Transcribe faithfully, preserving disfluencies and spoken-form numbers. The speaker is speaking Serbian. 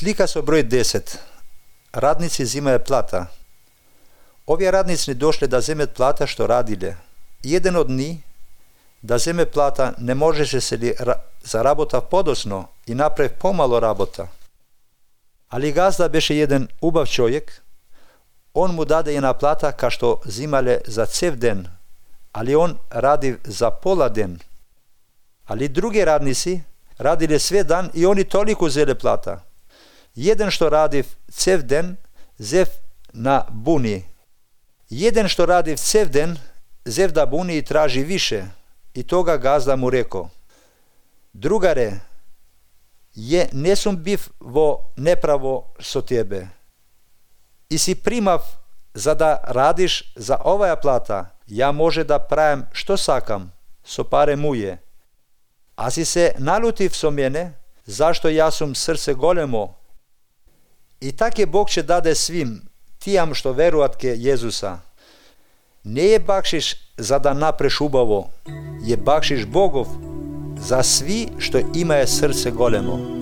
Slika so broj deset. Radnici zimajo plata. Ovi radnici ni došli da zemet plata što radile. Jedan od njih da zeme plata ne može se li ra- zarabota podosno i napravi pomalo rabota. Ali gazda beše jedan ubav čovjek, on mu dade jedna plata ka što zimale za cev den, ali on radi za pola den. Ali drugi radnici radile sve dan i oni toliko uzeli plata. Jedan što radi cev den, zev na buni. Jedan što radi cev den, zev da buni i traži više. I toga gazda mu rekao: drugare, je nesum biv vo nepravo so tebe. I si primav za da radiš za ovaja plata, ja može da pravim što sakam, so pare muje. A si se nalutiv so mene, zašto ja sum srce golemo. I tak je Bog će dade svim, tijam što veruatke Jezusa. Ne je bakšiš za da napreš ubavo, je bakšiš Bogov za svi što imaje srce golemo.